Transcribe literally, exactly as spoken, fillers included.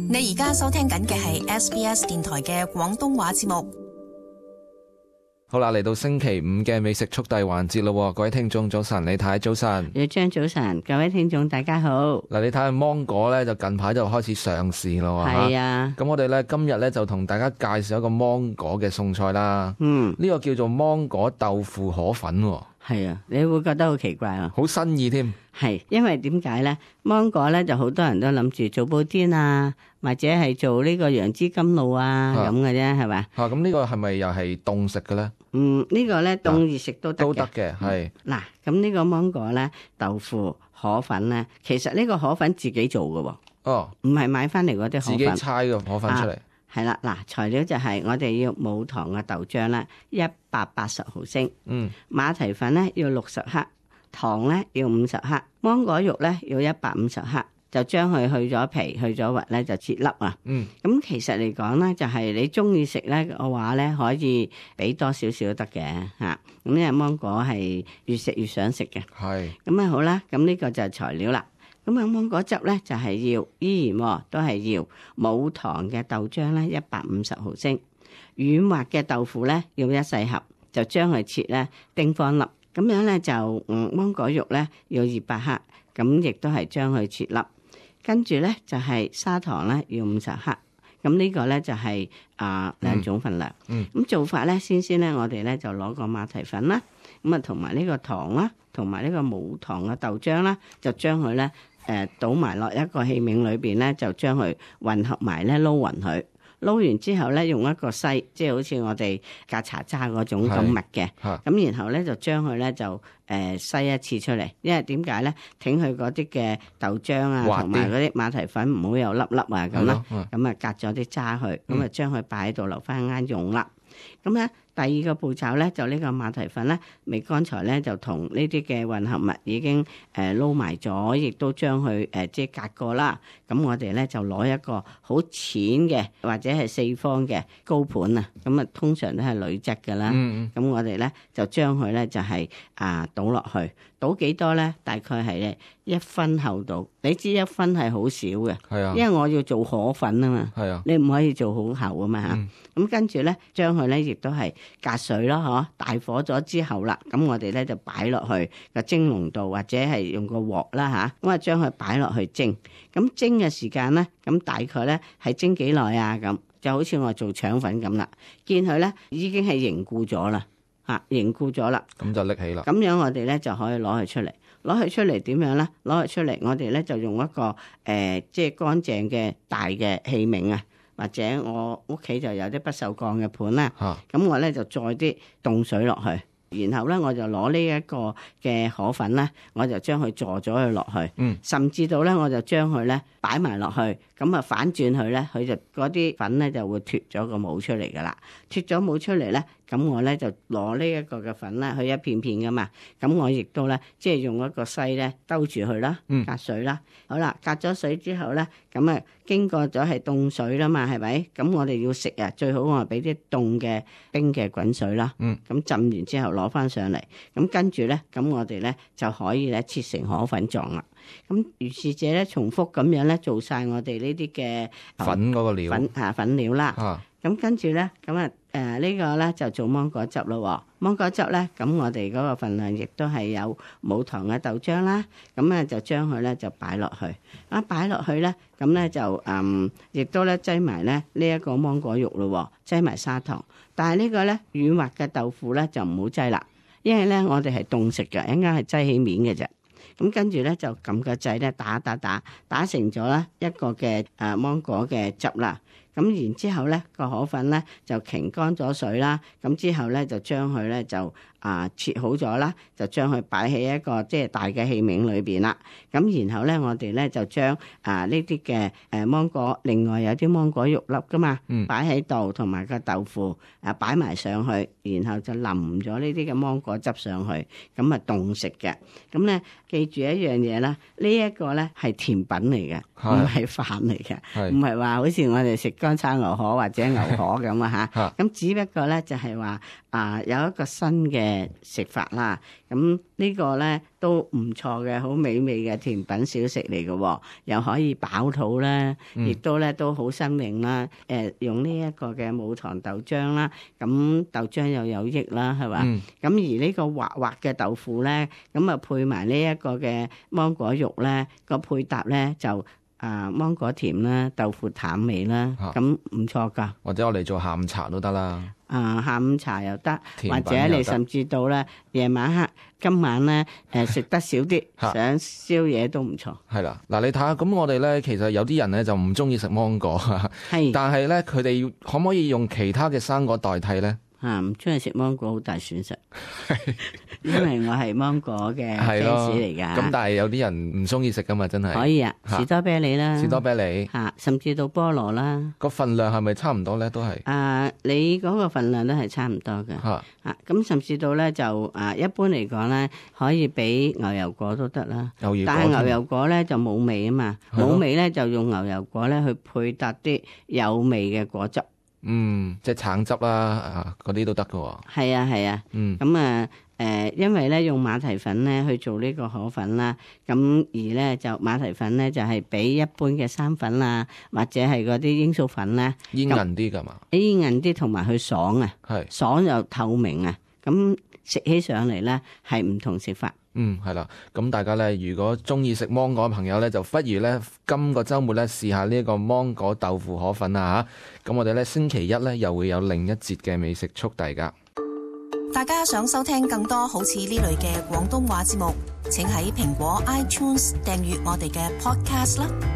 你而家收聽緊嘅係 S B S 電台嘅廣東話節目。好啦，嚟到星期五嘅美食速遞環節咯，各位聽眾早晨，李太早晨，李張早晨，各位聽眾大家好。嗱，你睇下芒果咧，就近排就開始上市咯，係啊。咁我哋咧今日咧就同大家介紹一個芒果嘅餸菜啦。嗯，呢個叫做芒果豆腐河粉。係啊，你會覺得好奇怪啊，好新意添。係，因為點解咧？芒果咧就好多人都諗住做布甸啊，或者係做呢個楊枝甘露啊咁嘅啫，係咪？嚇，咁呢個係咪又係凍食嘅咧？嗯，呢個咧凍熱食都得嘅。都得嘅，係。嗱，咁呢個芒果咧豆腐河粉咧，其實呢個河粉自己做嘅喎。哦，唔係買翻嚟嗰啲河粉。自己猜個河粉出嚟。係啦，嗱，材料就係我哋要冇糖嘅豆漿啦，一百八十毫升。嗯。馬蹄粉咧要六十克，糖咧要五十克，芒果肉咧要一百五十克，就將佢去咗皮、去咗核咧就切粒啊。嗯。咁其實嚟講咧，就係你中意食咧嘅話咧，可以俾多少少都得嘅嚇。咁因為芒果係越食越想食嘅。係。咁啊好啦，咁呢個就係材料啦。咁啊，芒果汁咧就係要依然、哦、都係要冇糖嘅豆漿咧一百五十毫升，軟滑嘅豆腐咧要一細盒，就將佢切咧丁方粒，咁樣咧就嗯芒果肉咧要二百克，咁亦都係將佢切粒，跟住咧就係、是、砂糖咧要五十克，咁呢個咧就係、是、啊、呃、兩種份量。嗯，咁做法咧先先咧，我哋咧就攞個馬蹄粉啦，咁啊同埋呢個糖啦，同埋呢個冇糖嘅豆漿啦，就將佢咧。誒、呃、倒埋落一個器皿裏邊咧，就將佢混合埋咧，撈勻佢。撈完之後咧，用一個篩，即係好似我哋隔茶渣嗰種咁密嘅。咁然後咧就將佢咧就誒篩、呃、一次出嚟，因為點解咧？挺佢嗰啲嘅豆漿啊，同埋嗰啲馬蹄粉唔好有粒粒啊咁啦。咁啊隔咗啲渣去，咁啊將佢擺喺度留翻啱用啦。咁咧。第二個步驟咧，就呢個馬蹄粉咧，未剛才咧就同呢啲嘅混合物已經誒撈埋咗，亦都將佢誒即係隔過啦。咁我哋咧就攞一個好淺嘅或者係四方嘅高盤啊，咁啊通常都係鋁質㗎啦。咁、嗯嗯、我哋咧就將佢咧就係、是、啊倒落去，倒幾多咧？大概係咧一分厚度。你知一分係好少嘅，係啊，因為我要做河粉啊嘛，係啊，你唔可以做好厚啊嘛嚇。咁、嗯、跟住咧將佢咧亦都係。隔水咯，嗬！大火咗之後啦，咁我哋咧就擺落去個蒸籠度，或者係用個鑊啦吓，咁啊將佢擺落去蒸。咁蒸嘅時間咧，咁大概咧係蒸幾耐啊？咁就好似我做腸粉咁啦，見佢咧已經係凝固咗啦，吓凝固咗啦，咁就拎起啦。咁樣我哋咧就可以攞佢出嚟，攞佢出嚟點樣咧？攞佢出嚟，我哋咧就用一個誒、呃、即係乾淨嘅大嘅器皿啊。或者我屋企就有啲不鏽鋼嘅盤啦，咁、啊、我咧就載啲凍水落去，然後咧我就攞呢一個嘅河粉咧，我就將佢坐咗佢落去，嗯、甚至到咧我就將佢咧擺埋落去，咁啊反轉佢咧，佢就嗰啲粉咧就會脫咗個帽出嚟噶啦，脫咗帽出嚟咧。咁我咧就攞呢一個嘅粉啦，佢一片片噶嘛，咁我亦都咧即係用一個篩咧兜住佢啦，隔水啦，嗯、好啦，隔咗水之後咧，咁啊經過咗係凍水啦嘛，係咪？咁我哋要食啊，最好我係俾啲凍嘅冰嘅滾水啦，咁、嗯、浸完之後攞翻上嚟，咁跟住咧，咁我哋咧就可以咧切成河粉狀啦。咁如是者咧重複咁樣咧做晒我哋呢啲嘅粉嗰個料粉啊粉料啦。啊咁跟住咧，咁啊誒呢個咧就做芒果汁咯。芒果汁咧，咁我哋嗰個份量亦都係有冇糖嘅豆漿啦。咁咧就將佢咧就擺落去，啊擺落去咧，咁咧就嗯，亦都咧擠埋咧呢一個芒果肉咯，擠埋砂糖。但係呢個咧軟滑嘅豆腐咧就唔好擠啦，因為咧我哋係凍食嘅，應該係擠起面嘅啫。咁跟住咧就撳個掣咧打打打打成咗咧一個嘅誒芒果嘅汁啦。咁然之後咧個河粉咧就擎乾咗水啦。咁之後咧就將佢咧就啊切好咗啦，就將佢擺喺一個即係大嘅器皿裏邊啦。咁然後咧我哋咧就將啊呢啲嘅誒芒果，另外有啲芒果肉粒噶嘛，擺喺度，同埋個豆腐啊擺埋上去，然後就淋咗呢啲嘅芒果汁上去，咁啊凍食嘅。咁咧記住一樣嘢啦，呢一個咧係甜品嚟嘅，唔係飯嚟嘅，唔係話好似我哋食乾炒牛河或者牛河咁啊嚇。咁只不過咧就係話啊有一個新嘅食法啦。咁呢個咧都唔錯嘅，好美味嘅甜品小食嚟嘅，又可以飽肚啦，亦、嗯、都咧都好新穎啦。誒、呃、用呢一個嘅無糖豆漿啦，咁豆漿又有益啦，係嘛？咁、嗯、而呢個滑滑嘅豆腐咧，咁啊配埋呢一個嘅芒果肉咧，個配搭咧就啊芒果甜啦，豆腐淡味啦，咁唔錯噶。或者我哋做下午茶都得啦。啊，下午茶又得，或者你甚至到咧夜晚黑、今晚咧誒食得少啲，想宵夜都唔錯。係啦，嗱你睇下，咁我哋咧其實有啲人咧就唔中意食芒果，係，但係咧佢哋可唔可以用其他嘅生果代替咧？啊，唔中意食芒果好大損失，因為我係芒果嘅 fans 嚟㗎。咁但係有啲人唔中意食㗎嘛，真係。可以啊，士多啤梨啦，士多啤梨嚇，甚至到菠蘿啦。個份量係咪差唔多咧？都係。啊，你嗰個份量都係差唔多嘅。嚇啊，咁甚至到咧就啊，一般嚟講咧，可以俾牛油果都得啦。牛油果。但係牛油果咧就冇味啊嘛，冇味咧就用牛油果咧去配搭啲有味嘅果汁。嗯，即係橙汁啦，啊，嗰啲都得㗎喎。係啊，係啊。嗯。咁啊，誒，因為咧用馬蹄粉咧去做呢個河粉啦，咁而咧就馬蹄粉咧就係比一般嘅生粉啊，或者係嗰啲罌粟粉咧，煙韌啲㗎嘛？煙韌啲同埋佢爽啊，係爽又透明啊，咁食起上嚟咧係唔同食法。嗯，係啦，咁大家咧，如果中意食芒果嘅朋友咧，就不如咧今個週末咧試下呢一個芒果豆腐河粉啊嚇！咁我哋咧星期一咧又會有另一節嘅美食速遞㗎。大家想收聽更多好似呢類嘅廣東話節目，請喺蘋果 iTunes 訂閱我哋嘅 Podcast 啦。